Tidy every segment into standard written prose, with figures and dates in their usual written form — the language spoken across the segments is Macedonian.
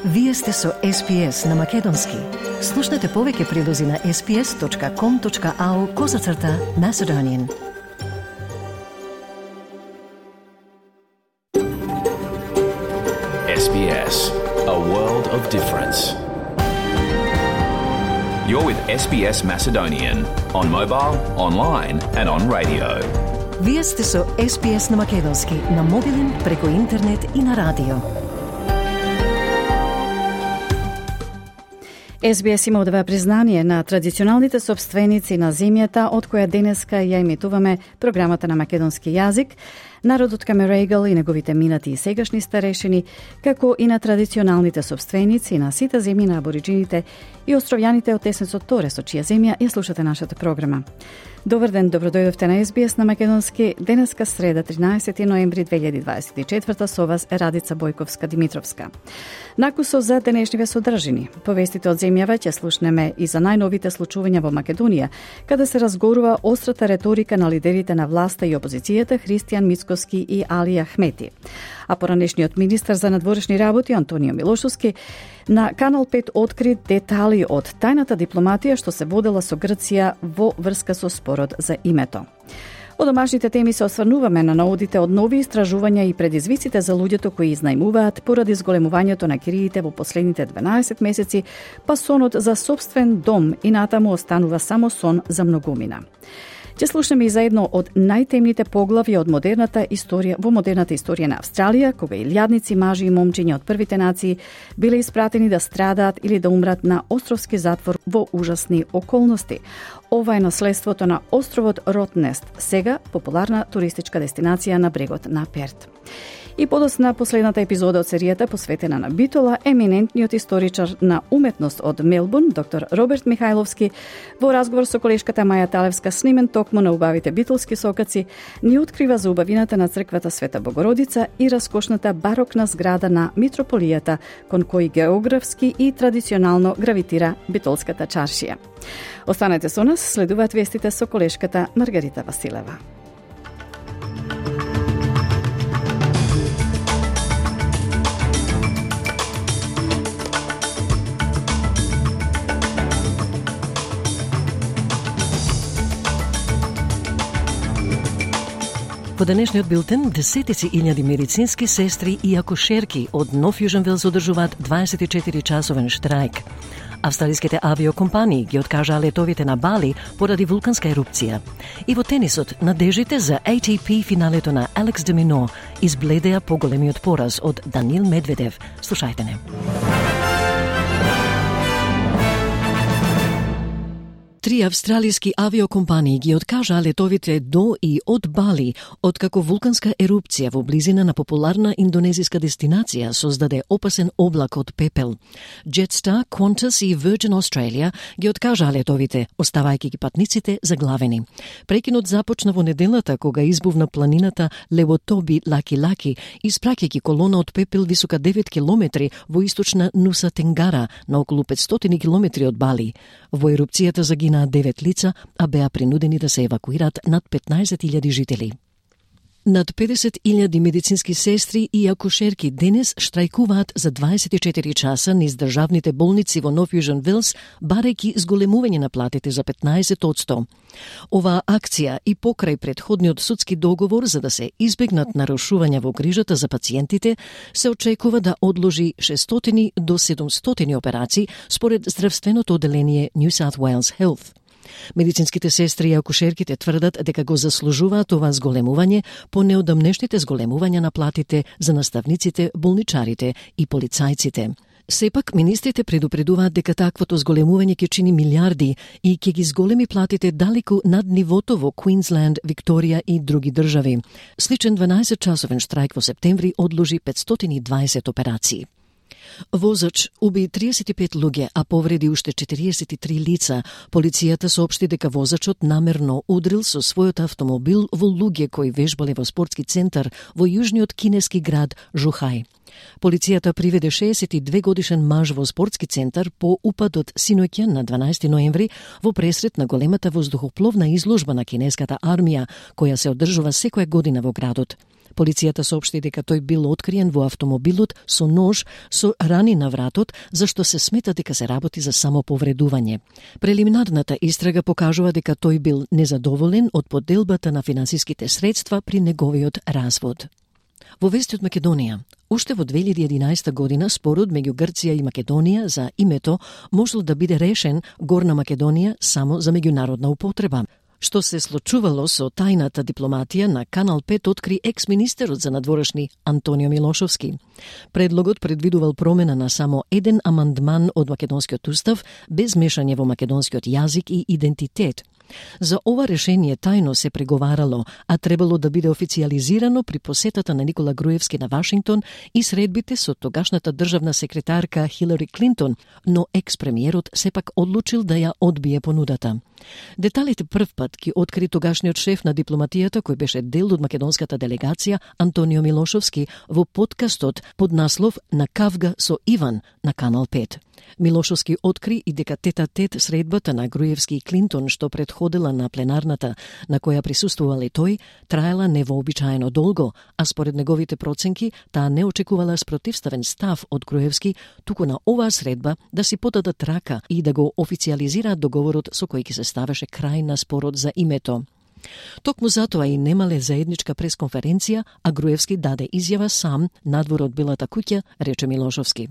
Вие сте со SPS на Македонски. Слушнете повеќе прилози на sps.com.au/Macedonian. SBS, a world of difference. You're with SBS Macedonian on mobile, online and on radio. Вие сте со SPS на Македонски на мобилен, преку интернет и на радио. SBS има одава признание на традиционалните собственици на земјата, од која денеска ја емитуваме програмата на македонски јазик, народот Камерегал и неговите минати и сегашни старешини, како и на традиционалните собственици на сите земји на абориджините и островјаните од Теснецот Торе, со чија земја ја слушате нашата програма. Добар ден, добродојдовте на SBS на Македонски. Денеска среда, 13 ноември 2024, со вас е Радица Бојковска-Димитровска. Накусо за денешниве содржини. Повестите од земјава ќе слушнеме и за најновите случувања во Македонија, каде се разгорува острата реторика на лидерите на власта и опозицијата Христијан Мицкоски и Али Ахмети. А поранешниот министар за надворешни работи Антонио Милошовски на Канал 5 откри детали од тајната дипломатија што се водела со Грција во врска со спорот за името. Од домашните теми се осврнуваме на наодите од нови истражувања и предизвиците за луѓето кои изнајмуваат поради зголемувањето на кириите во последните 12 месеци, па сонот за собствен дом и натаму останува само сон за многумина. Ќе слушнеме и за едно од најтемните поглави од модерната историја на Австралија, кога илјадници мажи и момчиња од првите нации биле испратени да страдаат или да умрат на островски затвор во ужасни околности. Ова е наследството на островот Ротнест, сега популарна туристичка дестинација на брегот на Перт. И подосна последната епизода од серијата посветена на Битола, еминентниот историчар на уметност од Мелбурн, доктор Роберт Михајловски, во разговор со колешката Маја Талевска снимен токму на убавите битолски сокаци, ни открива за убавината на црквата Света Богородица и раскошната барокна зграда на митрополијата, кон кој географски и традиционално гравитира битолската чаршија. Останете со нас, следуваат вестите со колешката Маргарита Василева. Во денешниот билтен, десетици илјади медицински сестри и акушерки од Нов Јужен Велс одржуваат 24-часовен штрајк. Австралиските авиокомпании ги откажаа летовите на Бали поради вулканска ерупција. И во тенисот, надежите за ATP финалето на Алекс де Мино избледеа поголемиот пораз од Данил Медведев. Слушајте не. Три австралиски авиокомпании ги откажаа летовите до и од Бали, откако вулканска ерупција во близина на популарна индонезиска дестинација создаде опасен облак од пепел. Jetstar, Qantas и Virgin Australia ги откажаа летовите, оставајќи ги патниците заглавени. Прекинот започна во неделата кога избувна планината Левотоби Лаки-Лаки, испраќајќи колона од пепел висока 9 километри во источна Нуса Тенгара, на околу 500 километри од Бали. Во ерупцијата загинаа 9 лица, а беа принудени да се евакуират над 15.000 жители. Над 50.000 медицински сестри и акушерки денес штрајкуваат за 24 часа низ државните болници во Нов Јужен Велс, барајќи зголемување на платите за 15%. Оваа акција и покрај претходниот судски договор за да се избегнат нарушувања во грижата за пациентите, се очекува да одложи 600 до 700 операции според здравственото оделение New South Wales Health. Медицинските сестри и акушерките тврдат дека го заслужуваат ова зголемување по неодамнешните зголемувања на платите за наставниците, болничарите и полицајците. Сепак, министрите предупредуваат дека таквото зголемување ќе чини милиарди и ќе ги зголеми платите далеку над нивото во Квинсленд, Викторија и други држави. Сличен 12-часовен штрајк во септември одложи 520 операции. Возач уби 35 луѓе, а повреди уште 43 лица. Полицијата соопшти дека возачот намерно удрил со својот автомобил во луѓе кои вежбале во спортски центар во јужниот кинески град Жухај. Полицијата приведе 62 годишен маж во спортски центар по упадот синоќа на 12 ноември во пресрет на големата воздухопловна изложба на кинеската армија, која се одржува секоја година во градот. Полицијата соопшти дека тој бил откриен во автомобилот со нож со рани на вратот, зашто се смета дека се работи за самоповредување. Прелиминарната истрага покажува дека тој бил незадоволен од поделбата на финансиските средства при неговиот развод. Во вести од Македонија, уште во 2011 година спорот меѓу Грција и Македонија за името можел да биде решен Горна Македонија само за меѓународна употреба. Што се случувало со тајната дипломатија на Канал 5 откри екс-министерот за надворешни Антонио Милошовски. Предлогот предвидувал промена на само еден амандман од македонскиот устав без мешање во македонскиот јазик и идентитет. За ова решение тајно се преговарало, а требало да биде официјализирано при посетата на Никола Груевски на Вашингтон и средбите со тогашната државна секретарка Хилари Клинтон, но екс-премиерот сепак одлучил да ја одбие понудата. Деталите првпат ги откри тогашниот шеф на дипломатијата кој беше дел од македонската делегација Антонио Милошовски во подкастот под наслов "На кавга со Иван" на Канал 5. Милошовски откри и дека тет-а-тет средбата на Груевски и Клинтон, што предходела на пленарната на која присуствувал и тој, траела невообичаено долго, а според неговите проценки, таа не очекувала спротивставен став од Груевски, туку на оваа средба да си подадат рака и да го официјализираат договорот со кој ќе се ставеше крај на спорот за името. Токму затоа и немале заедничка пресконференција, а Груевски даде изјава сам надвор од Белата куќа, рече Милошовски.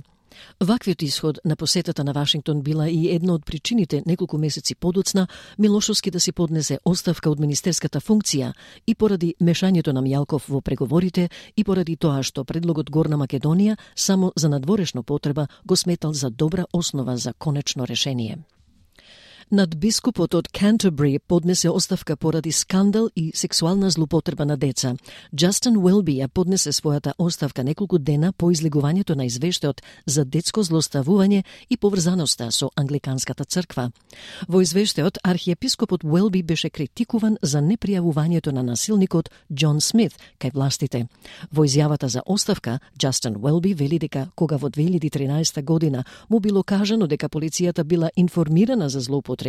Ваквиот исход на посетата на Вашингтон била и една од причините неколку месеци подоцна Милошовски да си поднесе оставка од министерската функција и поради мешањето на Мјалков во преговорите и поради тоа што предлогот Горна Македонија само за надворешна потреба го сметал за добра основа за конечно решение. Надбискупот од Canterbury поднесе оставка поради скандал и сексуална злоупотреба на деца. Джастин Уелби ја поднесе својата оставка неколку дена по излегувањето на извештајот за детско злоставување и поврзаноста со англиканската црква. Во извештајот архиепископот Уелби беше критикуван за непријавувањето на насилникот Џон Смит кај властите. Во изјавата за оставка, Джастин Уелби вели дека кога во 2013 година му било кажано дека полицијата била информирана за злоупотребата,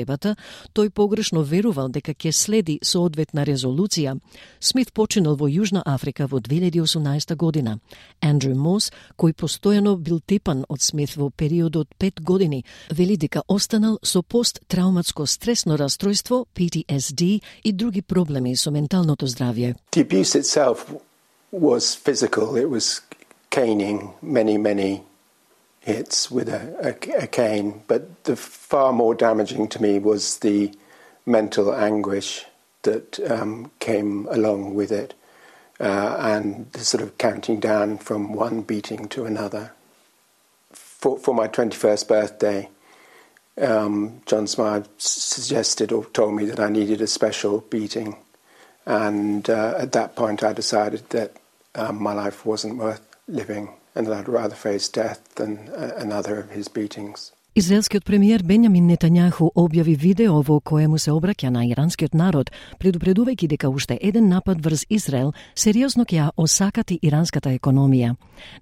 тој погрешно верувал дека ќе следи соодветна резолуција. Смит починал во Јужна Африка во 2018 година. Андрю Мос, кој постојано бил тепан од Смит во период од 5 години, вели дека останал со посттрауматско стресно растројство, PTSD и други проблеми со менталното здравје. The abuse itself was physical. It was caning, many hits with a cane, but the far more damaging to me was the mental anguish that came along with it, and the sort of counting down from one beating to another. For my 21st birthday, John Smythe suggested or told me that I needed a special beating, and at that point I decided that my life wasn't worth living and that I'd rather face death than another of his beatings. Израелскиот премиер Бенјамин Нетањаху објави видео во кое му се обраќа на иранскиот народ, предупредувајќи дека уште еден напад врз Израел сериозно ќе ја осакати иранската економија.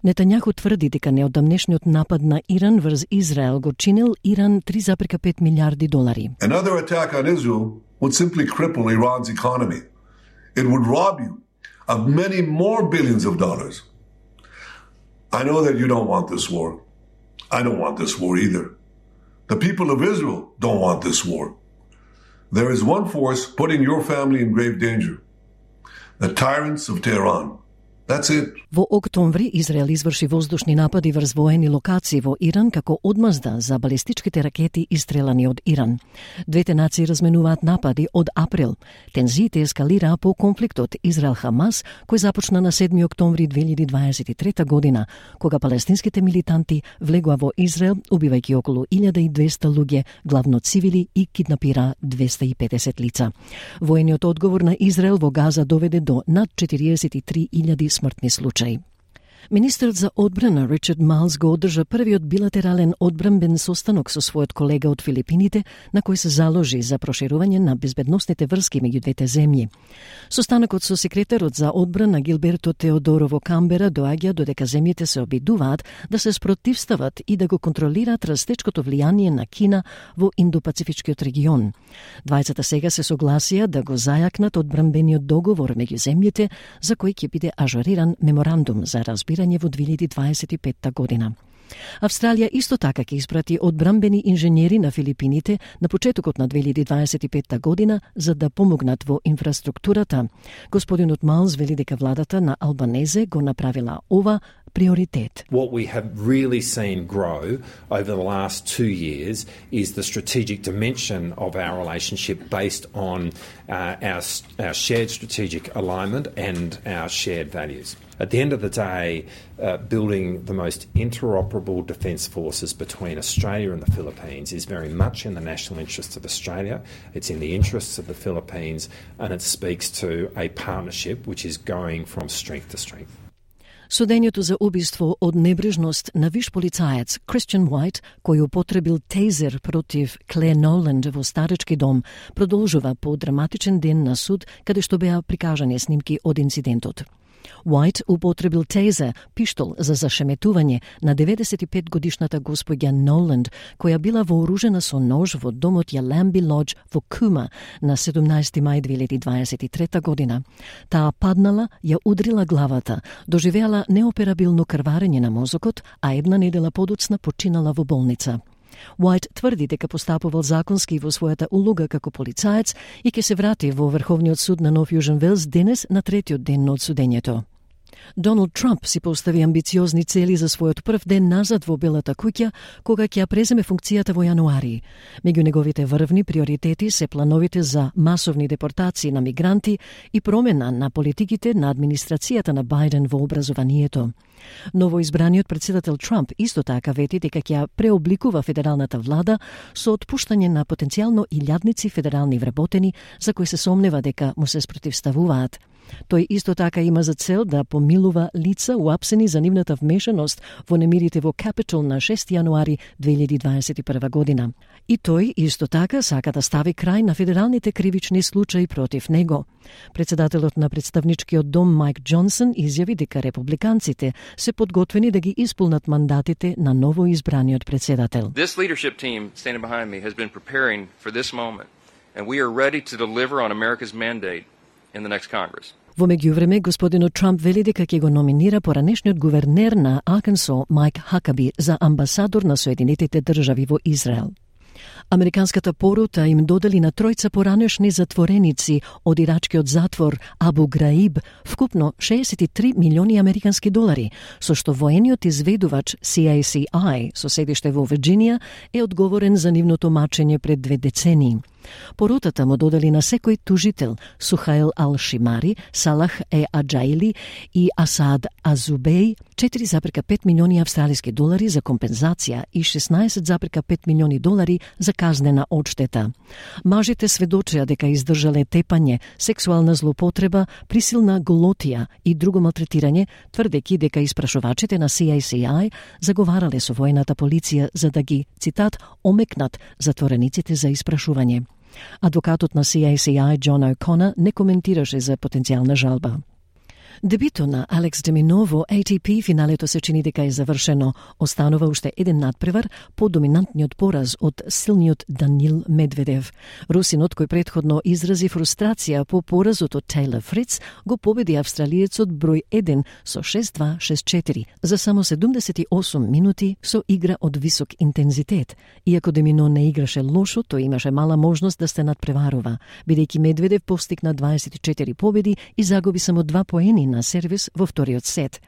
Нетањаху тврди дека неодамнешниот напад на Иран врз Израел го чинил Иран $3,5 милиарди. Another attack on Israel would simply cripple Iran's economy. It would rob you of many more billions of dollars. I know that you don't want this war. I don't want this war either. The people of Israel don't want this war. There is one force putting your family in grave danger. The tyrants of Tehran. That's it. Во октомври Израел изврши воздушни напади врз воени локации во Иран како одмазда за балистичките ракети истрелани од Иран. Двете нации разменуваат напади од април. Тензиите ескалираа по конфликтот Израел-Хамас, кој започна на 7 октомври 2023 година, кога палестинските милитанти влегоа во Израел, убивајќи околу 1200 луѓе, главно цивили, и киднапира 250 лица. Воениот одговор на Израел во Газа доведе до над 43,000 смртни случаи. Министерот за одбрана Ричард Майлс го одржа првиот билатерален одбранбен состанок со својот колега од Филипините, на кој се заложи за проширување на безбедносните врски меѓу двете земји. Состанокот со секретарот за одбрана Гилберто Теодоро во Камбера доаѓа додека земјите се обидуваат да се спротивстават и да го контролираат растечкото влијание на Кина во Индо-Пацифичкиот регион. Двајцата сега се согласија да го зајакнат одбранбениот договор меѓу земјите, за кој ќе биде ажуриран меморандум за разбирање во 2025 година. Австралија исто така ќе испрати одбранбени инженери на Филипините на почетокот на 2025 година за да помогнат во инфраструктурата. Господинот Майлс вели дека владата на Албанезе го направила ова приоритет. What we have really seen grow over the last 2 years is the strategic dimension of our relationship based on our shared strategic alignment and our shared values. At the end of the day, building the most interoperable defence forces between Australia and the Philippines is very much in the national interests of Australia, it's in the interests of the Philippines, and it speaks to a partnership which is going from strength to strength. Судењето за убиство од небрежност на виш полицаец Кристијан Уајт, кој употребил тейзер против Клеј Ноланд во старечки дом, продолжува по драматичен ден на суд, каде што беа прикажани снимки од инцидентот. Уајт употребил тейзер, пиштол за зашеметување на 95-годишната господја Ноланд, која била вооружена со нож во домот Яламби Лодж во Кума на 17 мај 2023 година. Таа паднала, ја удрила главата, доживеала неоперабилно крварење на мозокот, а една недела подоцна починала во болница. Уајт тврди дека постапувал законски во својата улога како полицаец и ќе се врати во Врховниот суд на Нов Јужен Велс денес на третиот ден од судењето. Доналд Трамп си постави амбициозни цели за својот прв ден назад во Белата куќа, кога ќе ја преземе функцијата во јануари. Меѓу неговите врвни приоритети се плановите за масовни депортации на мигранти и промена на политиките на администрацијата на Бајден во образованието. Новоизбраниот председател Трамп исто така вети дека ќе преобликува федералната влада со отпуштање на потенцијално илјадници федерални вработени за кои се сомнева дека му се спротивставуваат. Тој исто така има за цел да помилува лица уапсени за нивната вмешаност во немирите во Капитол на 6 јануари 2021 година. И тој исто така сака да стави крај на федералните кривични случаи против него. Председателот на представничкиот дом Майк Џонсон изјави дека републиканците се подготвени да ги исполнат мандатите на новоизбраниот председател. This leadership team standing behind me has been preparing for this moment, and we are ready to deliver on America's mandate in the next Congress. Во меѓувреме, господинот Трамп вели дека ќе го номинира поранешниот гувернер на Аркансо Майк Хакаби за амбасадор на Соединетите држави во Израел. Американската порота им додели на тројца поранешни затвореници од ирачкиот затвор Абу Граиб вкупно 63 милиони американски долари, со што воениот изведувач CACI со седиште во Вирџинија е одговорен за нивното мачење пред 2 децении. Поротата му додели на секој тужител Сухаил Ал-Шимари, Салах Аджаили и Асад Азубеј 4,5 милиони австралиски долари за компензација и 16,5 милиони долари за казнена одштета. Мажите сведочеа дека издржале тепање, сексуална злоупотреба, присилна голотија и друго малтретирање, тврдејќи дека испрашувачите на CACI заговарале со воената полиција за да ги, цитат, омекнат затворениците за испрашување. Адвокатот на CACI Џон О'Конер не коментираше за потенцијална жалба. Дебито на Алекс де Мино во ATP финалето се чини дека е завршено. Останува уште еден надпревар по доминантниот пораз од силниот Данил Медведев. Русинот, кој претходно изрази фрустрација по поразот од Тейлор Фриц, го победи австралиецот број 1 со 6-2, 6-4 за само 78 минути со игра од висок интензитет. Иако де Мино не играше лошо, тој имаше мала можност да се надпреварува, бидејќи Медведев постигна 24 победи и загуби само 2 поени на сервис во вториот сет.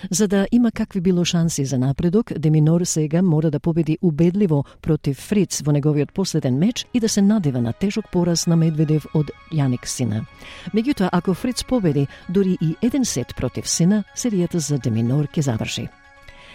За да има какви било шанси за напредок, де Минор сега мора да победи убедливо против Фриц во неговиот последен меч и да се надева на тежок пораз на Медведев од Јаник Сина. Меѓутоа, ако Фриц победи дури и еден сет против Сина, серијата за де Минор ќе заврши.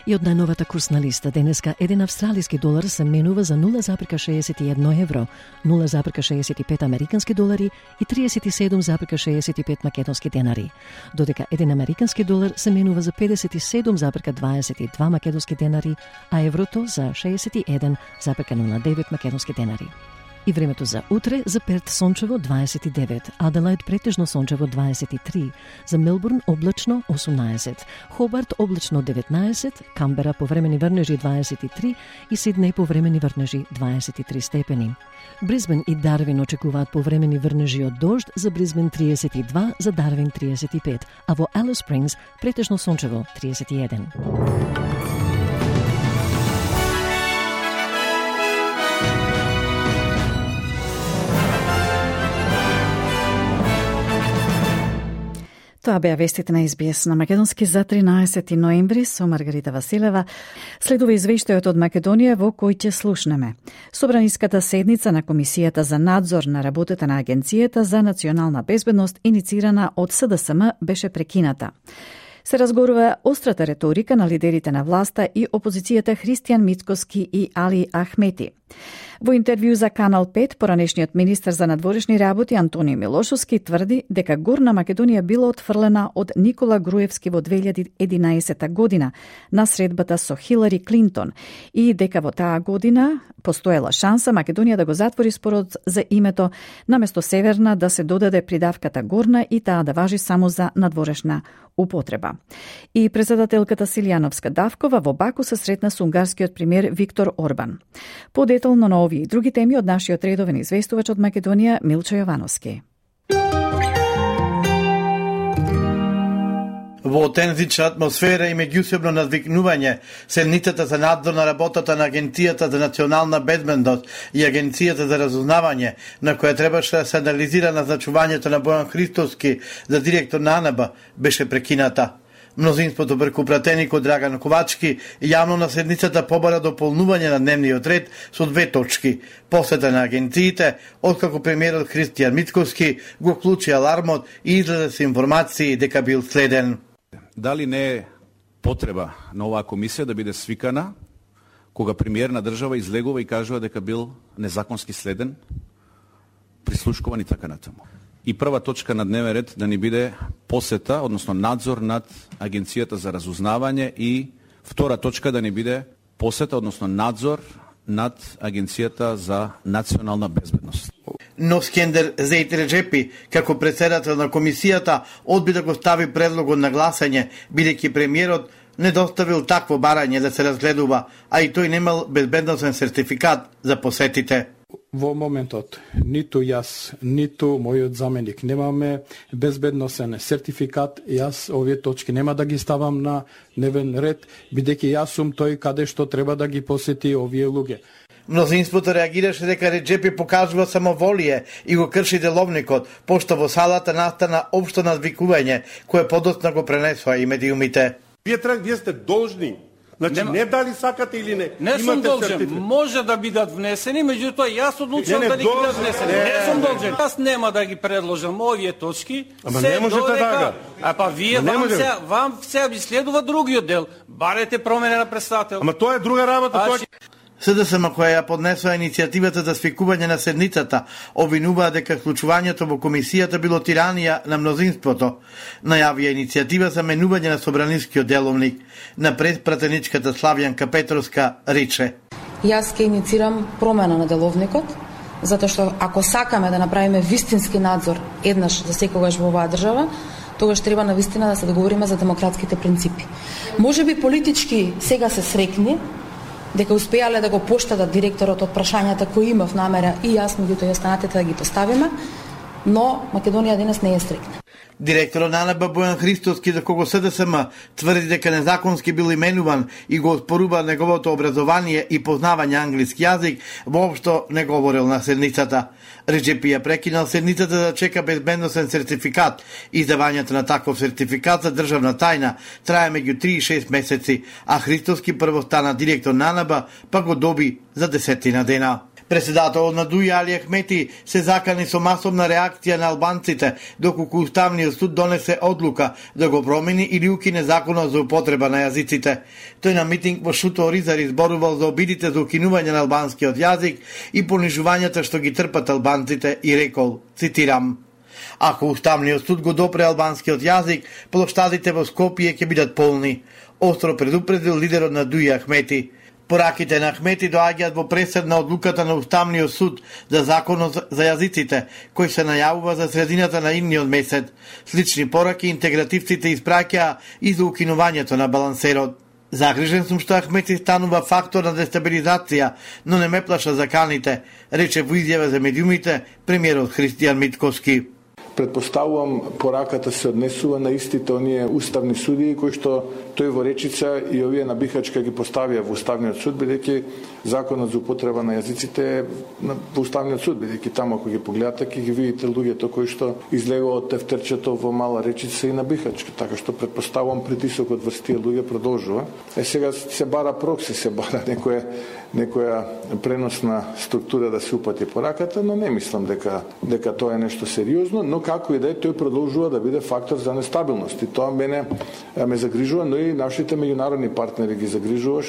И од најновата курсна листа денеска еден австралиски долар се менува за 0,61 евро, 0,65 американски долари и 37,65 македонски денари, додека еден американски долар се менува за 57,22 македонски денари, а еврото за 61,09 македонски денари. И времето за утре: за Перт сончево 29, Аделаид претежно сончево 23, за Мелбурн облачно 18, Хобарт облачно 19, Камбера повремени врнежи 23 и Сиднеј повремени врнежи 23 степени. Брисбен и Дарвин очекуваат повремени врнежи од дожд, за Брисбен 32, за Дарвин 35, а во Алис Спрингс претежно сончево 31. Тоа беа вестите на СБС на македонски за 13 ноември со Маргарита Василева. Следува извештајот од Македонија во кој ќе слушнеме. Собраниската седница на Комисијата за надзор на работата на Агенцијата за национална безбедност, иницирана од СДСМ, беше прекината. Се разгорува острата реторика на лидерите на власта и опозицијата Христијан Мицкоски и Али Ахмети. Во интервју за Канал 5, поранешниот министер за надворешни работи Антонио Милошовски тврди дека Горна Македонија била отфрлена од Никола Груевски во 2011 година на средбата со Хилари Клинтон и дека во таа година постоела шанса Македонија да го затвори спорот за името, наместо Северна да се додаде придавката Горна и таа да важи само за надворешна употреба. И председателката Силјановска Давкова во Баку се сретна со унгарскиот премиер Виктор Орбан. Подетелно на овие и други теми од нашиот редовен известувач од Македонија Милчо Јовановски. Во тензична атмосфера и меѓусебно надвикнување, седницата за надзор на работата на Агенцијата за национална безбедност и Агенцијата за разузнавање, на која требаше да се анализира назначувањето на Бојан Христовски за директор на АНБ, беше прекината. Мнозинството преку пратеникот Драган Ковачки јавно на седницата побара дополнување на дневниот ред со 2 точки: посета на агенциите, откако премиерот Христијан Мицкоски го вклучи алармот и излезе со информации дека бил следен. Дали не е потреба на оваа комисија да биде свикана кога премиер на држава излегува и кажува дека бил незаконски следен, прислушкуван и така натаму? И прва точка на дневен ред да ни биде посета, односно надзор над Агенцијата за разузнавање, и втора точка да ни биде посета, односно надзор над Агенцијата за национална безбедност. Но Скендер Зејт Реджепи, како председател на комисијата, одби да го стави предлогот на гласање, бидејќи премиерот не доставил такво барање да се разгледува, а и тој немал безбедносен сертификат за посетите. Во моментот, ниту јас, ниту мојот заменик немаме безбедносен сертификат. Јас овие точки нема да ги ставам на дневен ред, бидејќи јас сум тој каде што треба да ги посети овие луѓе. Мнозинството реагираше дека Реджепи покажува самоволие и го крши деловникот, пошто во салата настана општо надвикување, кое подоцна го пренесоа и медиумите. Вие сте должни. Значи, не дали сакате или не. Не сум должен. Може да бидат внесени, меѓутоа јас одлучувам да ги бидат внесени. Не сум должен. Јас нема да ги предложам овие точки. Ама не можете така. А па вие вам се ви следува другиот дел. Барете промена на председател. Ама тоа е друга работа. СДСМ, која ја поднесува иницијативата за свикување на седницата, обвинуваа дека вклучувањето во комисијата било тиранија на мнозинството. Најавија иницијатива за менување на собранискиот деловник. Напред пратеничката Славјанка Петровска рече: Јас ќе иницирам промена на деловникот, затоа што ако сакаме да направиме вистински надзор еднаш за секогаш во оваа држава, тогаш треба на вистина да се договориме за демократските принципи. Можеби политички сега се срекни дека успеале да го поштадат директорот од прашањата кои имав намера и јас, меѓутоа останатите да ги поставиме, но Македонија денес не е срекна. Директорот на АНБ Бојан Христовски, за кого СДСМ тврди дека незаконски бил именуван и го оспорува неговото образование и познавање англиски јазик, воопшто не говорил на седницата. Реджепи ја прекинал седницата да чека безбедносен сертификат. Издавањето на таков сертификат за државна тајна трае меѓу 3 и 6 месеци, а Христовски прво стана директор на АНБ, па го доби за 10 дена. Председателот на ДУИ Али Ахмети се закани со масовна реакција на албанците, доколку Уставниот суд донесе одлука да го промени или укине законот за употреба на јазиците. Тој на митинг во Шуто Оризар изборувал за обидите за укинување на албанскиот јазик и понижувањата што ги трпат албанците и рекол, цитирам: "Ако Уставниот суд го допре албанскиот јазик, плоштадите во Скопје ќе бидат полни", остро предупредил лидерот на ДУИ Ахмети. Пораките на Ахмети доаѓаат во пресед на одлуката на Уставниот суд за законот за јазиците, кој се најавува за средината на идниот месец. Слични пораки интегративците испраќаа и за укинувањето на балансерот. "Загрижен сум што Ахмети станува фактор на дестабилизација, но не ме плаша заканите", рече во изјава за медиумите премиерот Христијан Митковски. Предпоставувам пораката се однесува на истите оние уставни судии кои што тој во речица и овие на Бихачка ги поставија во Уставниот суд, бидејќи законот за употреба на јазиците во Уставниот суд, бидејќи таму ако ги погледате ќе ги видите луѓето кои што излегува од тефтерчето во Мала Речица и на Бихачка, така што предпоставувам притисокот врз тие луѓе продолжува. Сега се бара прокси, се бара некоја преносна структура да се упати пораката, но не мислам дека тоа е нешто сериозно, но како и да е, тој продолжува да биде фактор за нестабилност и тоа мене ме загрижува, но и нашите меѓународни партнери ги загрижува.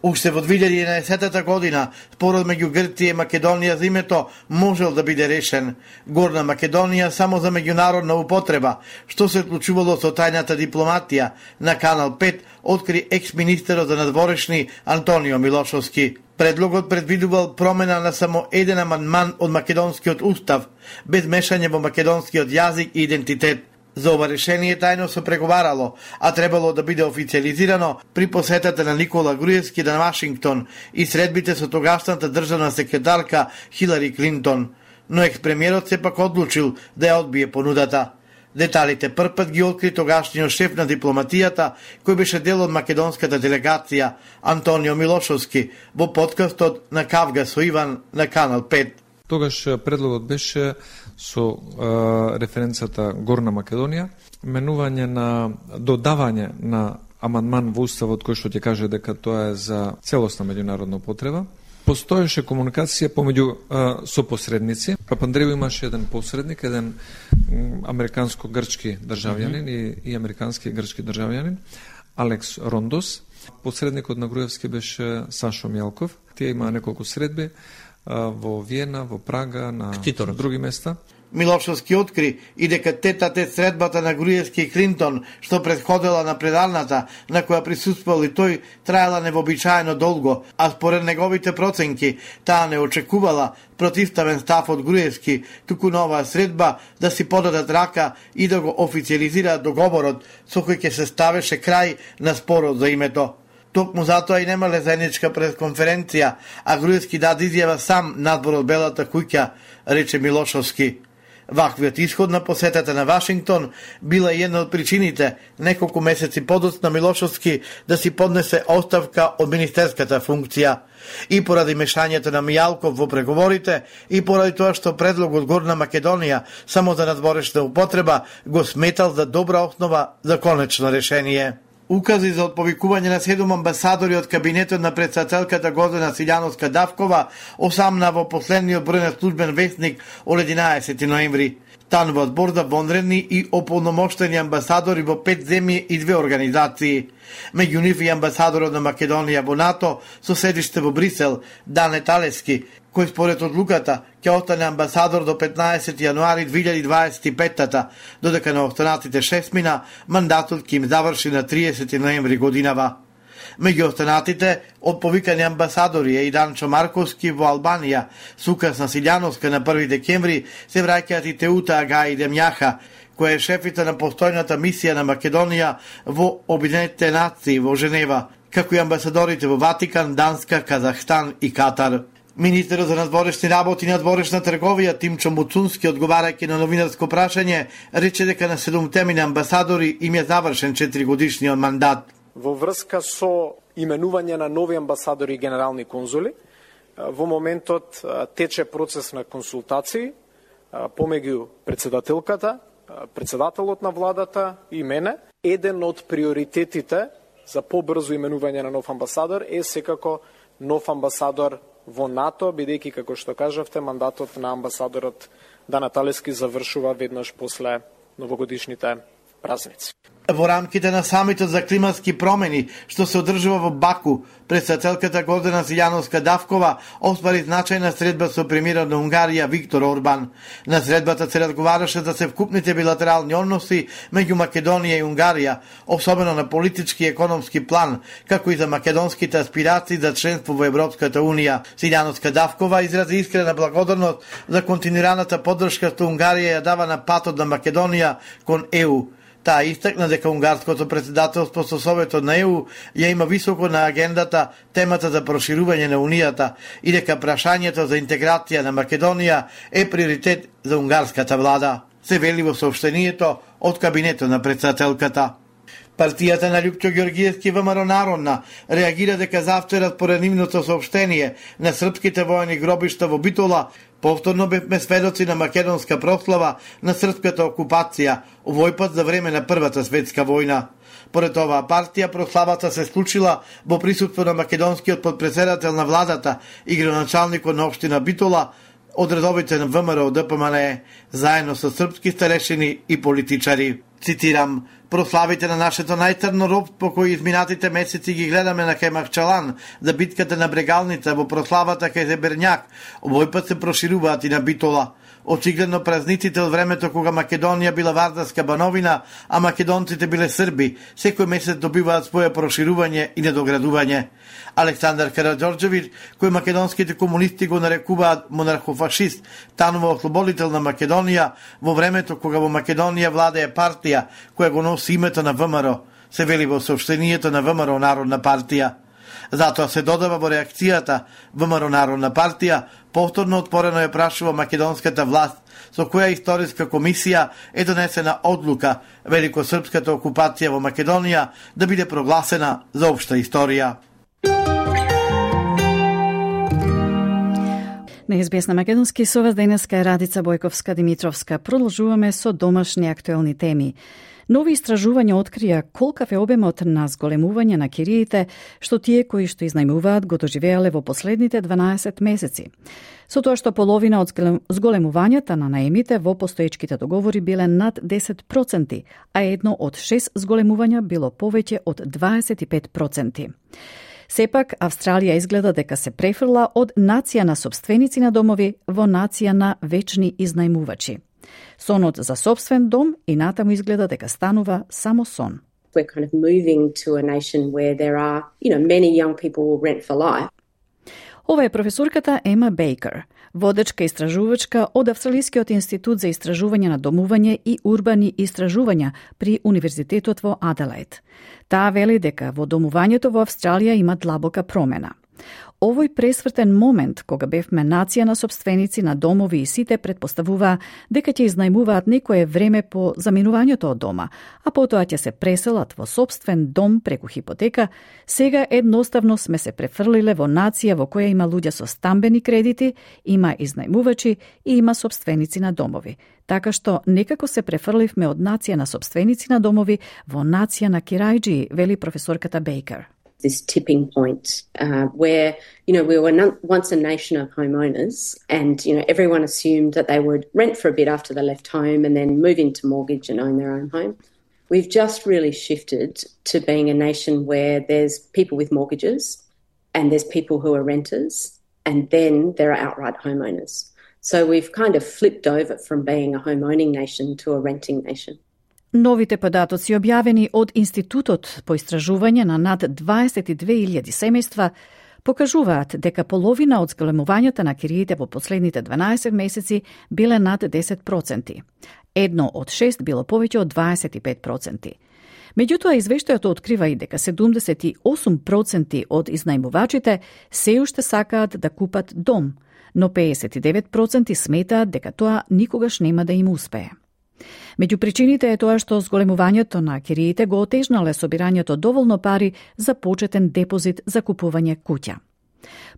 Уште во 2011 година спорот меѓу Грција и Македонија за името можел да биде решен. Горна Македонија само за меѓународна употреба, што се случувало со тајната дипломатија на Канал 5, откри екс-министерот за надворешни Антонио Милошовски. Предлогот предвидувал промена на само еден амандман од македонскиот устав, без мешање во македонскиот јазик и идентитет. За ова решение тајно се преговарало, а требало да биде официализирано при посетата на Никола Груевски на Вашингтон и средбите со тогашната државна секретарка Хилари Клинтон. Но екс-премиерот сепак одлучил да ја одбие понудата. Деталите првпат ги откри тогашниот шеф на дипломатијата, кој беше дел од македонската делегација, Антонио Милошовски, во подкастот на Кавга со Иван на Канал 5. Тогаш предлогот беше со референцата Горна Македонија, менување на додавање на амандман во уставот кој што ќе каже дека тоа е за целосна меѓународна употреба. Постоеше комуникација помеѓу сопосредници. Папандреу имаше еден посредник, еден американско-грчки државјанин и американски грчки државјанин, Алекс Рондос. Посредникот на Груевски беше Сашо Мјалков. Тие имаа неколку средби во Виена, во Прага, на други места. Милошовски откри и дека тет-а-тет средбата на Груевски и Клинтон, што предходела на предавната, на која присуствувал и тој, траела невообичаено долго, а според неговите проценки, таа не очекувала противставен став од Груевски, туку на оваа средба да си подадат рака и да го официализираат договорот со кој ќе се ставеше крај на спорот за името. Токму затоа и немале заедничка пресконференција, а Груевски даде изјава сам надвор од Белата куќа, рече Милошовски. Ваквиот исход на посетата на Вашингтон била една од причините неколку месеци подоцна Милошовски да си поднесе оставка од министерската функција. И поради мешањето на Мијалков во преговорите, и поради тоа што предлогот Горна Македонија само за надворешна употреба го сметал за добра основа за конечно решение. Укази за отповикување на 7 амбасадори од кабинетот на председателката Гордана Силјановска-Давкова осамна во последниот број на службен весник од 11 ноември. Станува збор за вонредни и ополномоштени амбасадори во 5 земји и 2 организации. Меѓу нив и амбасадорот на Македонија во НАТО со седиште во Брисел, Дане Талески, кој според одлуката ќе остане амбасадор до 15 јануари 2025-та, додека на останатите 6 мина мандатот ќе им заврши на 30 ноември годинава. Меѓу останатите, од повикани амбасадори е и Данчо Марковски во Албанија, с указ на Силјановска на 1 декември се враќаат и Теута Агај Демјаха, која е шефица на постојната мисија на Македонија во Обединетите нации во Женева, како и амбасадорите во Ватикан, Данска, Казахстан и Катар. Министерот за надворешни работи и надворешна трговија Тимчо Муцунски, одговарајќи на новинарско прашање, рече дека на 7 амбасадори им е завршен 4-годишниот мандат. Во врска со именување на нови амбасадори и генерални конзули, во моментот тече процес на консултации помеѓу председателката, председателот на владата и мене. Еден од приоритетите за побрзо именување на нов амбасадор е секако нов амбасадор во НАТО, бидејќи, како што кажавте, мандатот на амбасадорот Данаталески завршува веднаш после новогодишните празници. Во рамките на самитот за климатски промени, што се одржува во Баку, председателката Гордана Силјановска-Давкова оствари значајна средба со премиерот на Унгарија Виктор Орбан. На средбата се разговараше за севкупните билатерални односи меѓу Македонија и Унгарија, особено на политички и економски план, како и за македонските аспирации за членство во Европската Унија. Силјановска-Давкова изрази искрена благодарност за континуираната поддршка што Унгарија ја дава на патот на Македонија кон ЕУ. Таа истакна дека унгарското председателство со Советот на ЕУ ја има високо на агендата темата за проширување на Унијата и дека прашањето за интеграција на Македонија е приоритет за унгарската влада, се вели во соопштението од кабинетот на председателката. Партијата на Љупчо Ѓоргиевски ВМРО Народна реагира дека завчера според нивното соопштение на српските воени гробишта во Битола повторно бевме сведоци на македонска прослава на српската окупација, овој пат за време на Првата светска војна. Поред оваа партија, прославата се случила во присуство на македонскиот подпредседател на владата и градоначалникот на општина Битола, од редовите на ВМРО ДПМН, заедно со српски старешини и политичари. Цитирам: прославите на нашето најцрно робство кои изминатите месеци ги гледаме на Кајмакчалан, за битката на Брегалница, во прославата кај Зеберњак, овој пат се прошируваат и на Битола. Очигледно празниците од времето кога Македонија била вардарска бановина, а македонците биле срби, секој месец добиваат своје проширување и недоградување. Александар Караџорџевиќ, кој македонските комунисти го нарекуваат монархофашист, танува ослободител на Македонија во времето кога во Македонија владее партија која го носи името на ВМРО, се вели во соопштението на ВМРО Народна партија. Затоа се додава во реакцијата ВМРО Народна партија, повторно отворено ја прашува македонската власт со која историска комисија е донесена одлука великосрпската окупација во Македонија да биде прогласена за општа историја. На СБС на Македонски со вас денеска е Радица Бојковска-Димитровска. Продолжуваме со домашни актуелни теми. Нови истражувања открија колкав е обемот на зголемување на кириите што тие кои што изнајмуваат го доживеале во последните 12 месеци. Со тоа што половина од зголемувањата на наемите во постоечките договори биле над 10%, а едно од 6 зголемувања било повеќе од 25%. Сепак, Австралија изгледа дека се префрла од нација на сопственици на домови во нација на вечни изнајмувачи. Сонот за собствен дом и натаму изгледа дека станува само сон. We're kind of moving to a nation where there are, many young people will rent for life. Ова е професорката Ема Бейкер, водечка истражувачка од Австралискиот институт за истражување на домување и урбани истражувања при Универзитетот во Аделаид. Таа вели дека во домувањето во Австралија има длабока промена. Овој пресвртен момент, кога бевме нација на сопственици на домови и сите предпоставуваа дека ќе изнајмуваат некое време по заминувањето од дома, а потоа ќе се преселат во собствен дом преку хипотека, сега едноставно сме се префрлиле во нација во која има луѓе со стамбени кредити, има изнајмувачи и има сопственици на домови. Така што некако се префрливме од нација на сопственици на домови во нација на кирајџи, вели професорката Бейкер. This tipping point where, we were once a nation of homeowners and, everyone assumed that they would rent for a bit after they left home and then move into mortgage and own their own home. We've just really shifted to being a nation where there's people with mortgages and there's people who are renters and then there are outright homeowners. So we've kind of flipped over from being a homeowning nation to a renting nation. Новите податоци објавени од Институтот по истражување на над 22.000 семејства покажуваат дека половина од зголемувањата на кириите во последните 12 месеци биле над 10%. Едно од 6 било повеќе од 25%. Меѓутоа, извештајот открива и дека 78% од изнајмувачите се уште сакаат да купат дом, но 59% сметаат дека тоа никогаш нема да им успее. Меѓу причините е тоа што зголемувањето на кириите го отежнале собирањето доволно пари за почетен депозит за купување куќа.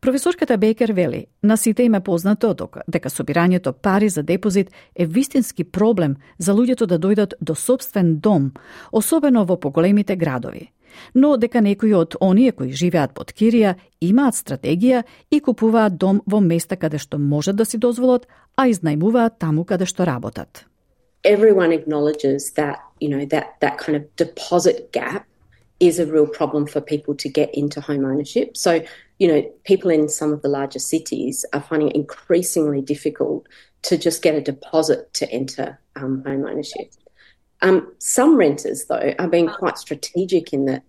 Професорката Бейкер вели, на сите им е познато дека собирањето пари за депозит е вистински проблем за луѓето да дојдат до собствен дом, особено во поголемите градови. но дека некои од оние кои живеат под кирија имаат стратегија и купуваат дом во места каде што можат да си дозволат, а изнајмуваат таму каде што работат. Everyone acknowledges that, that kind of deposit gap is a real problem for people to get into home ownership. So, people in some of the larger cities are finding it increasingly difficult to just get a deposit to enter home ownership. Some renters, though, are being quite strategic in the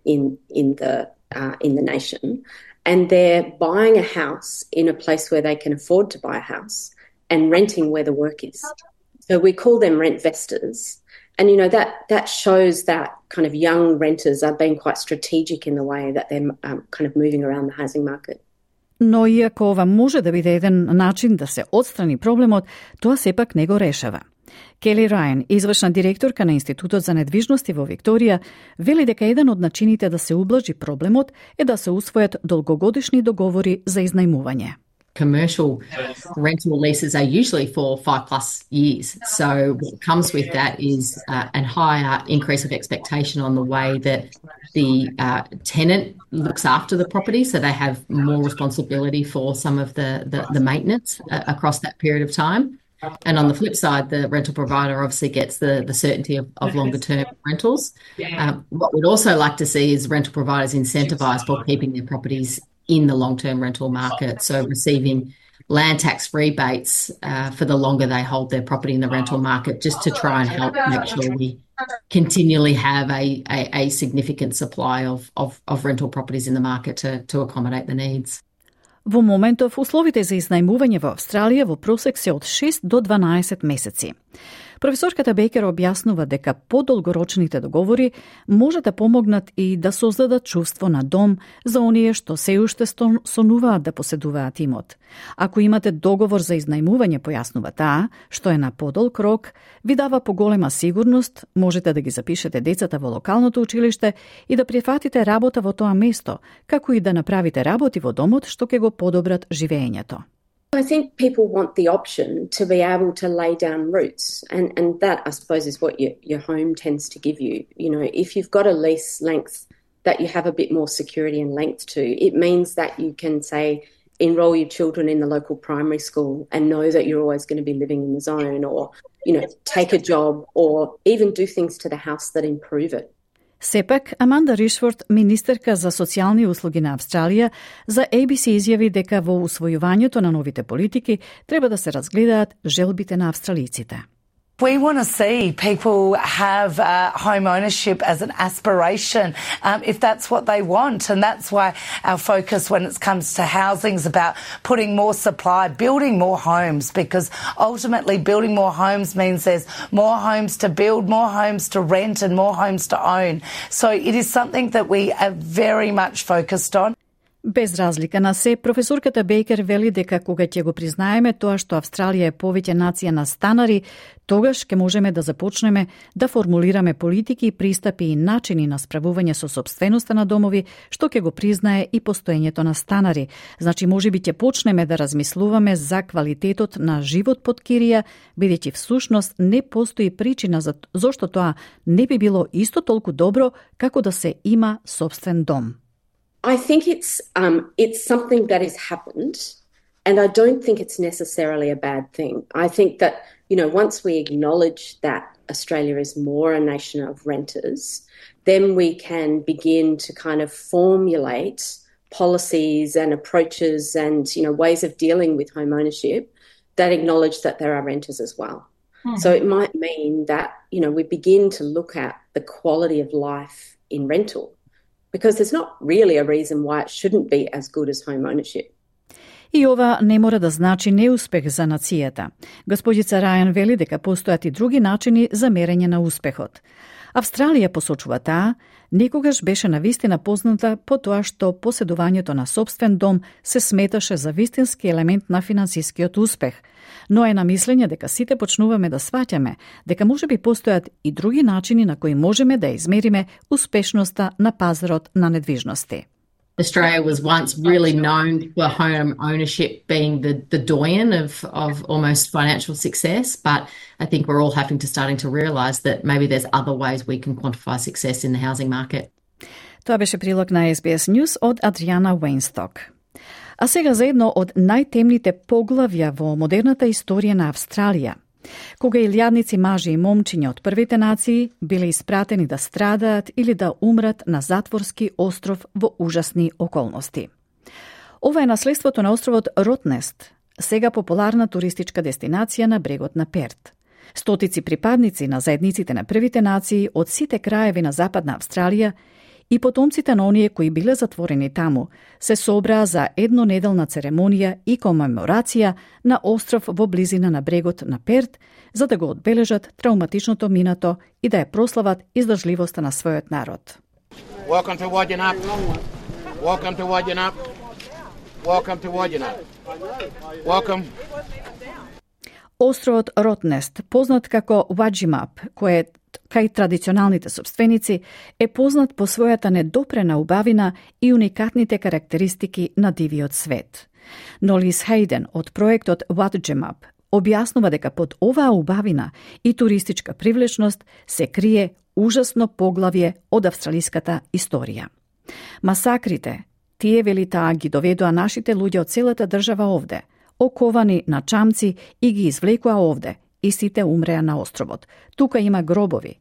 nation, and they're buying a house in a place where they can afford to buy a house and renting where the work is. So we call them rent-vestors. And, that shows that kind of young renters are being quite strategic in the way that they're kind of moving around the housing market. Но иако ова може да биде еден начин да се отстрани проблемот, тоа сепак не го решава. Кели Рајан, извршна директорка на Институтот за недвижности во Викторија, вели дека еден од начините да се ублажи проблемот е да се усвојат долгогодишни договори за изнајмување. Commercial rental leases are usually for 5+ years. So what comes with that is a higher increase of expectation on the way that the tenant looks after the property. So they have more responsibility for some of the maintenance across that period of time. And on the flip side, the rental provider obviously gets the certainty of longer term rentals. What we'd also like to see is rental providers incentivised for keeping their properties in the long-term rental market, so receiving land tax rebates for the longer they hold their property in the rental market, just to try and help make sure we continually have a significant supply of rental properties in the market to accommodate the needs. Во моментов, условите за изнајмување во Австралија во просек се од 6 до 12 месеци. Професорката Бейкер објаснува дека подолгорочните договори може да помогнат и да создадат чувство на дом за оние што се уште сонуваат да поседуваат имот. Ако имате договор за изнајмување, појаснува таа, што е на подолг рок, ви дава поголема сигурност, можете да ги запишете децата во локалното училиште и да прифатите работа во тоа место, како и да направите работи во домот што ќе го подобрат живеењето. I think people want the option to be able to lay down roots, and that, I suppose, is what your home tends to give you. If you've got a lease length that you have a bit more security and length to, it means that you can, say, enroll your children in the local primary school and know that you're always going to be living in the zone, or, take a job, or even do things to the house that improve it. Сепак, Аманда Ришфорд, министерка за социјални услуги на Австралија, за ABC изјави дека во усвојувањето на новите политики треба да се разгледаат желбите на австралиците. We want to see people have home ownership as an aspiration if that's what they want. And that's why our focus when it comes to housing is about putting more supply, building more homes, because ultimately building more homes means there's more homes to build, more homes to rent and more homes to own. So it is something that we are very much focused on. Без разлика на се, професорката Бейкер вели дека кога ќе го признаеме тоа што Австралија е повеќе нација на станари, тогаш ќе можеме да започнеме да формулираме политики, пристапи и начини на справување со сопственоста на домови, што ќе го признае и постоењето на станари. Значи, можеби ќе почнеме да размислуваме за квалитетот на живот под кирија, бидејќи всушност не постои причина зошто тоа не би било исто толку добро како да се има сопствен дом. I think it's something that has happened, and I don't think it's necessarily a bad thing. I think that, once we acknowledge that Australia is more a nation of renters, then we can begin to kind of formulate policies and approaches and, ways of dealing with home ownership that acknowledge that there are renters as well. So it might mean that, we begin to look at the quality of life in rental, because there's not really a reason why it shouldn't be as good as home ownership. И ова не мора да значи неуспех за нацијата. Господица Рајан вели дека постојат и други начини за мерење на успехот. Австралија, посочува таа, некогаш беше навистина позната по тоа што поседувањето на сопствен дом се сметаше за вистински елемент на финансискиот успех, но е на мислење дека сите почнуваме да сваќаме дека можеби постојат и други начини на кои можеме да измериме успешноста на пазарот на недвижности. Australia was once really known for home ownership being the doyen of almost financial success, but I think we're all having to realise that maybe there's other ways we can quantify success in the housing market. Тоа беше прилог на SBS News од Адриана Уейнсток. А сега за едно од најтемните поглавја во модерната историја на Австралија. Кога илјадници мажи и момчиња од првите нации биле испратени да страдаат или да умрат на затворски остров во ужасни околности. Ова е наследството на островот Ротнест, сега популарна туристичка дестинација на брегот на Перт. Стотици припадници на заедниците на првите нации од сите краеви на Западна Австралија и потомците на оние кои биле затворени таму се собраа за еднонеделна церемонија и комеморација на остров во близина на брегот на Перт, за да го одбележат травматичното минато и да ја прослават издржливоста на својот народ. Welcome to Wodgina. Welcome to Wodgina. Welcome to Wodgina. Welcome. Островот Ротнест, познат како Ваджимап, кој е кај традиционалните собственици, е познат по својата недопрена убавина и уникатните карактеристики на дивиот свет. Но Лис Хейден од проектот Ваджимап објаснува дека под оваа убавина и туристичка привлечност се крие ужасно поглавје од австралиската историја. Масакрите, тие вели таа ги доведоа нашите луѓе од целата држава овде, оковани на чамци и ги извлекоа овде, и сите умреа на островот. Тука има гробови.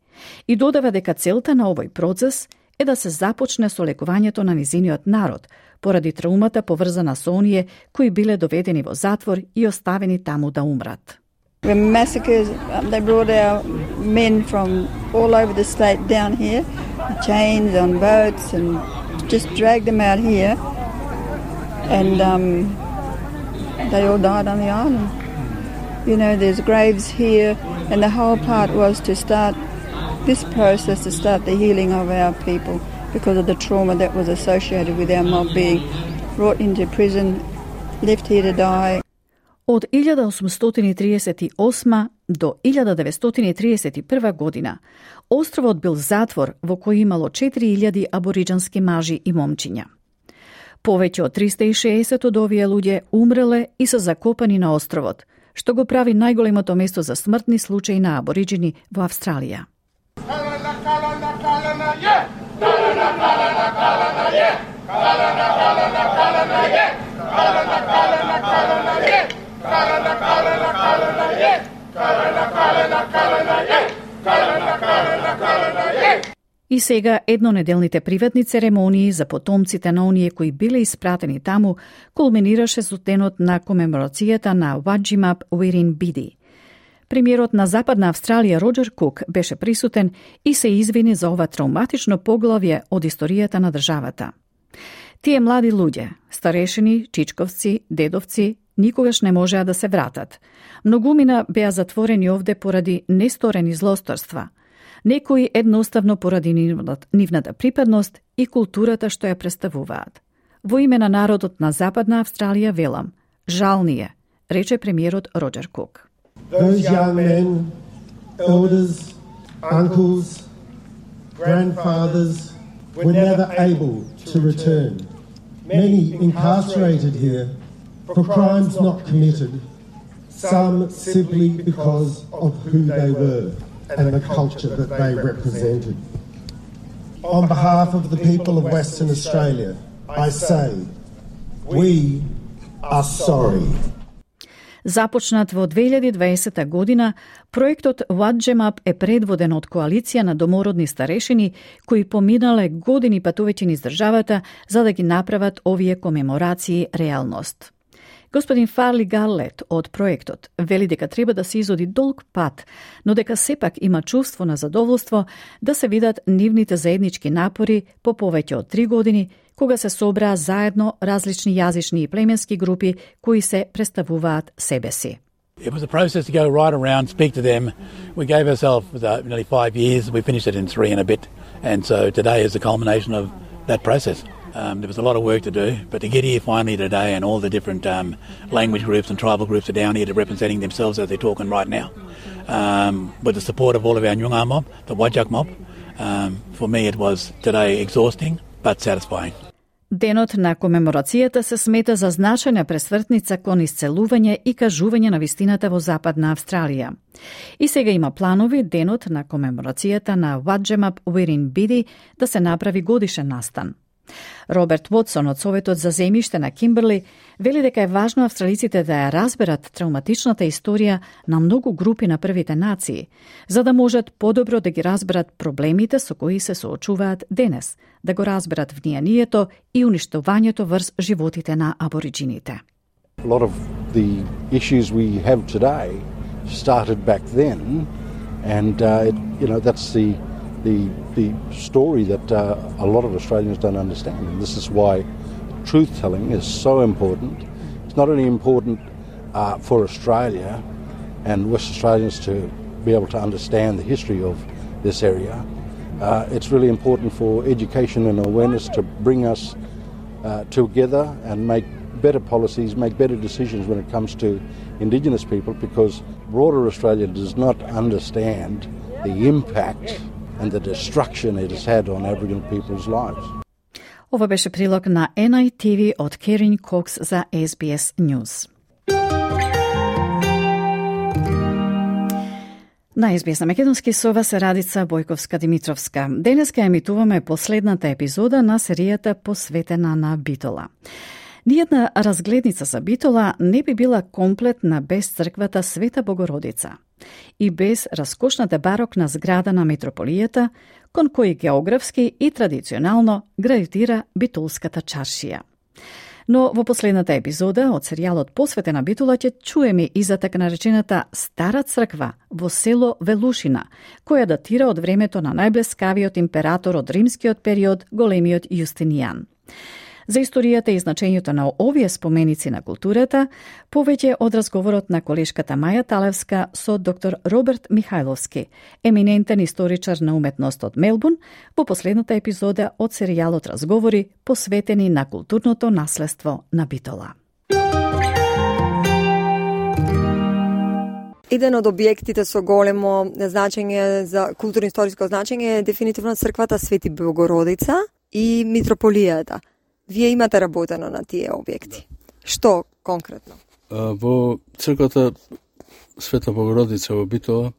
И додава дека целта на овој процес е да се започне со лекувањето на низиниот народ, поради траумата поврзана со оние кои биле доведени во затвор и оставени таму да умрат. The massacres, they brought our men from all over the state down here, chains on boats, and just dragged them out here, and they all died on the island. You know, there's graves here, and the whole part was to start this process, to start the healing of our people because of the trauma that was associated with our mob being brought into prison, left here to die. Од 1838 до 1931 година, островот бил затвор во кој имало 4000 абориџански мажи и момчиња. Повеќе од 360 од овие луѓе умреле и се закопани на островот, што го прави најголемото место за смртни случаи на абориџини во Австралија. И сега еднонеделните приватни церемонии за потомците на оние кои биле испратени таму кулминираше со денот на комеморацијата на Ваджимап Уирин Биди. Премиерот на Западна Австралија Роџер Кук беше присутен и се извини за ова травматично поглавје од историјата на државата. Тие млади луѓе, старешини, чичковци, дедовци, никогаш не можеа да се вратат. Многумина беа затворени овде поради несторени злосторства. Некои едноставно поради нивната припадност и културата што ја представуваат. Во име на народот на Западна Австралија велам, жал ни е, рече премиерот Роџер Кук. Those young men, elders, uncles, grandfathers were never able to return. Many incarcerated here for crimes not committed, some simply because of who they were and the culture that they represented. On behalf of the people of Western Australia, I say, we are sorry. Започнат во 2020 година, проектот Ваджимап е предводен од коалиција на домородни старешини кои поминале години патувајќи низ државата за да ги направат овие комеморации реалност. Господин Фарли Галлет од проектот вели дека треба да се изоди долг пат, но дека сепак има чувство на задоволство да се видат нивните заеднички напори по повеќе од 3 години, кога се собраа заедно различни јазични и племенски групи кои се представуваат себе си. It was a process to go right around, speak to them. We gave ourselves nearly 5 years. We finished it in 3 and a bit. And so today is the culmination of that process. There was a lot of work to do, but to get here finally today and all the different language groups and tribal groups are down here to representing themselves as they're talking right now. With the support of all of our Nyunga mob, the Wajak mob, for me it was today exhausting but satisfying. Денот на комеморацијата се смета за значајна пресвртница кон исцелување и кажување на вистината во Западна Австралија. И сега има планови денот на комеморацијата на Wajimap Wirrinbidi да се направи годишен настан. Роберт Вотсон од Советот за земјиште на Кимберли вели дека е важно австралиците да ја разберат травматичната историја на многу групи на првите нации, за да можат подобро да ги разберат проблемите со кои се соочуваат денес, да го разберат внијанието и уништувањето врз животите на абориджините. A lot of the issues we have today started back then, and that's the story that a lot of Australians don't understand. And this is why truth-telling is so important. It's not only important for Australia and West Australians to be able to understand the history of this area. It's really important for education and awareness to bring us together and make better policies, make better decisions when it comes to Indigenous people, because broader Australia does not understand the impact and the destruction it has had on Aboriginal people's lives. Ова беше прилог на NITV од Керин Кокс за SBS News. На SBS на Македонски со вас е Радица Бојковска-Димитровска. Денеска емитуваме последната епизода на серијата посветена на Битола. Ниједна разгледница за Битола не би била комплетна без црквата Света Богородица и без раскошната барокна зграда на метрополијата, кон кој географски и традиционално гравитира битолската чаршија. Но во последната епизода од серијалот посветен на Битола ќе чуеме и за така наречената Стара црква во село Велушина, која датира од времето на најблескавиот император од римскиот период, големиот Јустинијан. За историјата и значењето на овие споменици на културата, повеќе од разговорот на колешката Маја Талевска со доктор Роберт Михајловски, еминентен историчар на уметност од Мелбурн, во последната епизода од серијалот Разговори посветени на културното наследство на Битола. Еден од објектите со големо значење за културно-историско значење е дефинитивно црквата Свети Богородица и митрополијата. Вие имате работено на тие објекти. Што конкретно? Во црквата Света Богородица во Битола,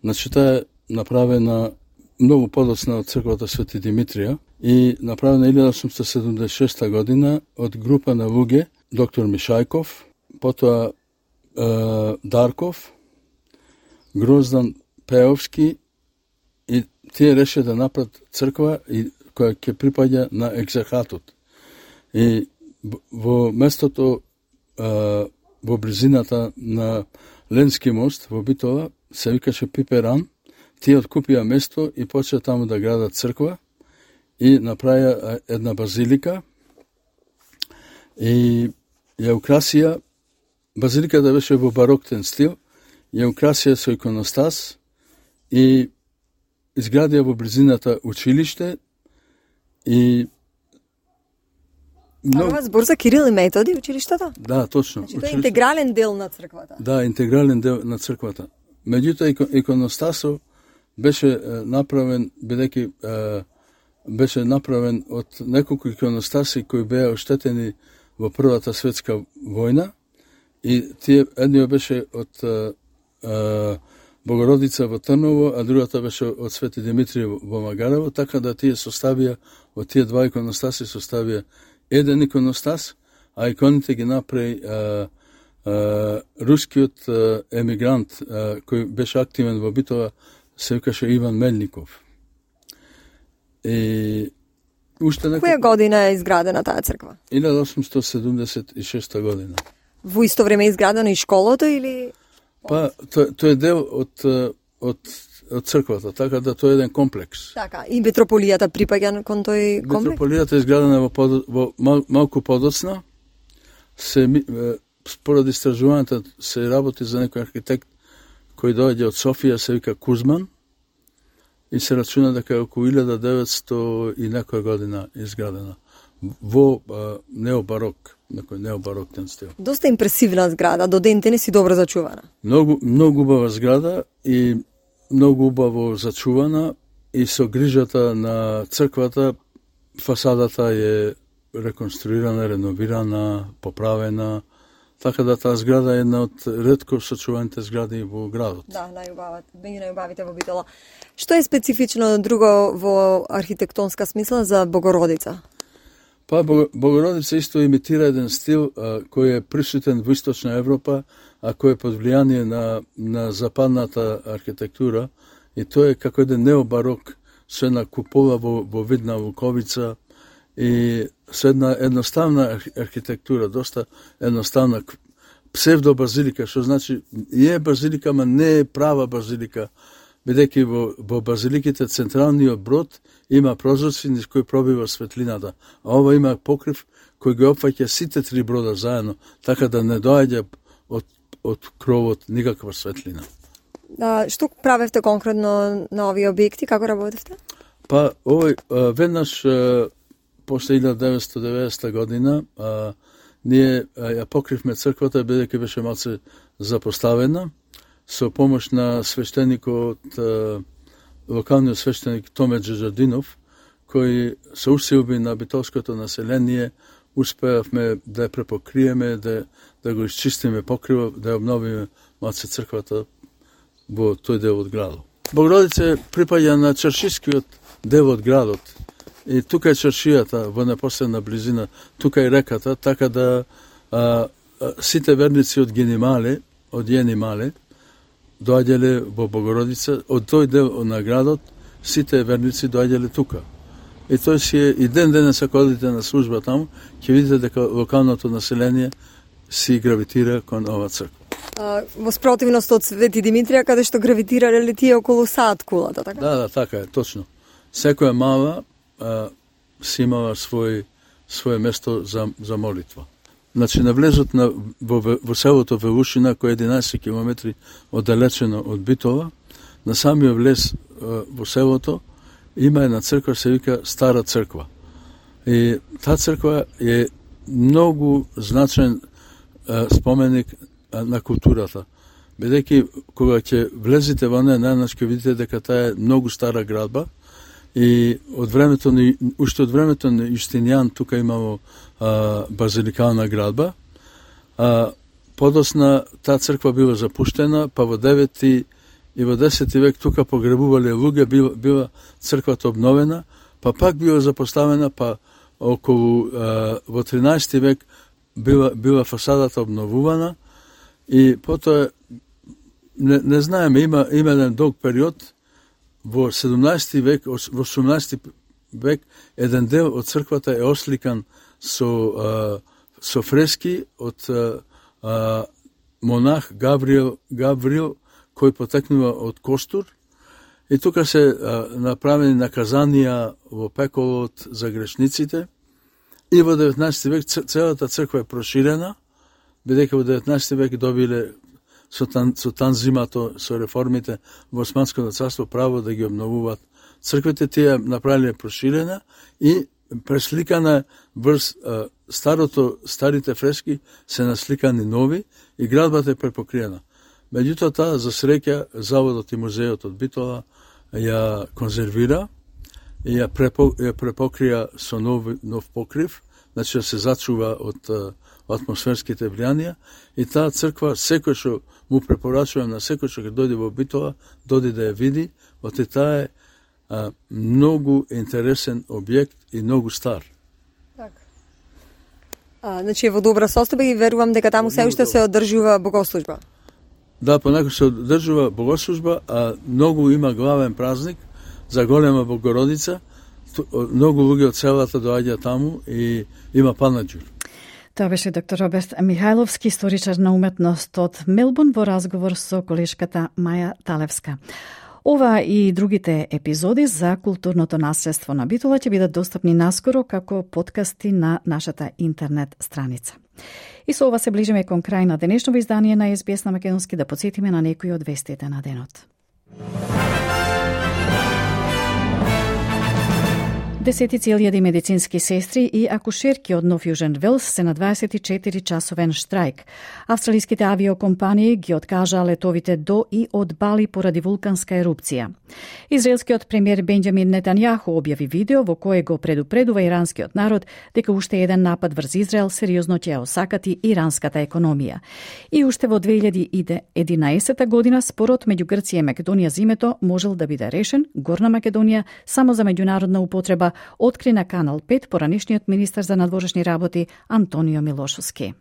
значи таа е направена многу подоцна од црквата Свети Димитрија и направена 1876 година од група на луѓе, доктор Мишајков, потоа Дарков, Гроздан Пеовски, и тие решија да направат црква која ќе припаѓа на екзархатот. И во местото, во близината на Ленски мост во Битола, се викаше Пиперан, тие откупија место и почеа таму да градат црква и направија една базилика и ја украсија, базиликата беше во бароктен стил, ја украсија со иконостас и изградија во близината училиште и Ова збор за Кирил и Методи, училиштата? Да, точно. Значи, тоа е интегрален дел на црквата. Да, интегрален дел на црквата. Меѓутоа, иконостасов беше направен, бидејќи беше направен од неколку иконостаси кои беа оштетени во Првата светска војна, и тие едниот беше од Богородица во Трново, а другата беше од Свети Димитрија во Магарево, така да тие составија, од тие два иконостаси составија еден иконостас, а иконите ги направи рускиот емигрант кој беше активен во Битола, се викаше Иван Мельников. И уште Која година е изградена таа црква? 1876 година. Во исто време е изградена и школото или? Па, тоа е дел од црквата, така да тоа е еден комплекс. Така, и митрополијата припаѓа кон тој комплекс? Митрополијата е изградена во малку подоцна. Според истражувањата се работи за некој архитект кој доаѓа од Софија, се вика Кузман, и се рачуна дека е околу 1900 и некоја година изградена во необарок, некој необароктен стил. Доста импресивна зграда, до ден денес и добро зачувана. Многу убава зграда и многу убаво зачувана, и со грижата на црквата фасадата е реконструирана, реновирана, поправена, така да таа зграда е една од ретко сочуваните згради во градот. Да, меѓу најубавите во Битола. Што е специфично друго во архитектонска смисла за Богородица? Па Богородица исто имитира еден стил кој е присутен во Источна Европа, а кој е под влијание на западната архитектура, и тоа е како еден необарок со една купола во вид на луковица и со една едноставна архитектура, доста едноставна псевдобазилика, што значи е базилика, ама не е права базилика, бидејќи во базиликите централниот брод има прозорци низ кои пробива светлината, а ова има покрив кој ги опфаќа сите три брода заедно, така да не доаѓа од кровот никаква светлина. Што правевте конкретно на овие објекти, како работевте? Па, веднаш после 1990 година ние ја покривме црквата, бидејќи беше малце запоставена, со помош на свештеникот, локалниот свештеник Томе Джаджардинов, кој со усилби на битолското население успеавме да ја препокриеме, да го исчистиме покривот, да ја обновиме малце црквата во тој дел од градот. Богородица припаѓа на чаршискиот дел од градот. И тука е чаршијата во непосредна близина, тука е реката, така да сите верници од Генимале, од Јенимале, доаѓале во Богородица, од тој дел на градот, сите верници доаѓале тука. И тој си е, и денес ако одите на служба таму, ќе видите дека локалното население си гравитира кон ова црква. Во спротивност од Свети Димитрија, каде што гравитирале тие околу сад кулата, така? Да, така е, точно. Секоја мала си имала своje место за молитва. Значи, на влезот во селото Велушина, кој е 11 километри оддалечено од Битола, на самиот влез во селото има една црква, се вика Стара црква. И таа црква е многу значен споменик на културата. Бидејќи кога ќе влезете во неја, најнаш ќе видите дека таа е многу стара градба и уште од времето на Јустинијан тука имало базиликална градба. Подосна таа црква била запуштена, па во 9 и во 10 век тука погребувале луѓе, била црквата обновена, па пак била запоставена, па околу во 13 век била фасадата обновувана и потоа не знаеме, има еден долг период во 17 век, во 18 век еден дел од црквата е осликан со фрески од монах Гаврил кој потекнува од Костур и тука се направени наказанија во пеколот за грешниците и во 19 век целата црква е проширена, бидејќи во 19 век добиле со танзимато, со реформите во Османското царство право да ги обновуваат црквите, тие направиле проширена и пресликана врз старите фрески се насликани нови и градбата е препокриена. Меѓутоа таа за среќа заводот и музеот од Битола ја конзервира и ја препокрија со нов покрив, значи да се зачува од атмосферските влијанија и таа црква секој што му препорачувам на секој што ќе дојде во Битола, дојде да ја види, оти таа е многу интересен објект и многу стар. Значи во добра состојба и верувам дека таму се уште се одржува богослужба. Да, понекогаш се одржува богослужба, а многу има главен празник за голема Богородица. Многу луѓе од селата доаѓа таму и има панаџур. Тоа беше доктор Роберт Михајловски, историчар на уметност од Мелбурн во разговор со колешката Маја Талевска. Ова и другите епизоди за културното наследство на Битола ќе бидат достапни наскоро како подкасти на нашата интернет страница. И со ова се ближиме кон крај на денешното издание на SBS на македонски, да потсетиме на некои од вестите на денот. Десетици илјади медицински сестри и акушерки од Нов Јужен Велс се на 24-часовен штрајк. Австралиските авиокомпании ги откажаа летовите до и од Бали поради вулканска ерупција. Израелскиот премиер Бенџамин Нетањаху објави видео во кое го предупредува иранскиот народ дека уште еден напад врз Израел сериозно ќе ја осакати иранската економија. И уште во 2011 година спорот меѓу Грција и Македонија за името можел да биде решен. Горна Македонија само за меѓународна употреба откри на Канал 5 поранешниот министар за надворешни работи Антонио Милошовски.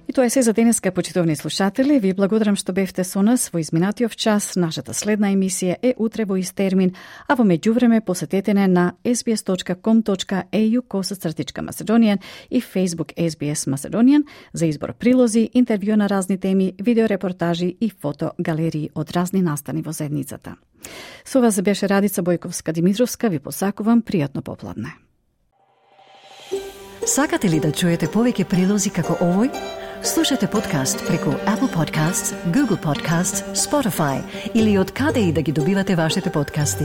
И тоа е се за денеска, почитувани слушатели. Ви благодарам што бевте со нас во изминатиот час. Нашата следна емисија е утре во ист термин, а во меѓувреме посетете не на sbs.com.au/Macedonian и Facebook SBS Macedonian за избор прилози, интервју на разни теми, видеорепортажи и фотогалерии од разни настани во заедницата. Со вас беше Радица Бојковска-Димитровска. Ви посакувам пријатно попладне. Сакате ли да чуете повеќе прилози како овој? Слушате подкаст преку Apple Podcasts, Google Podcasts, Spotify или од каде и да ги добивате вашите подкасти.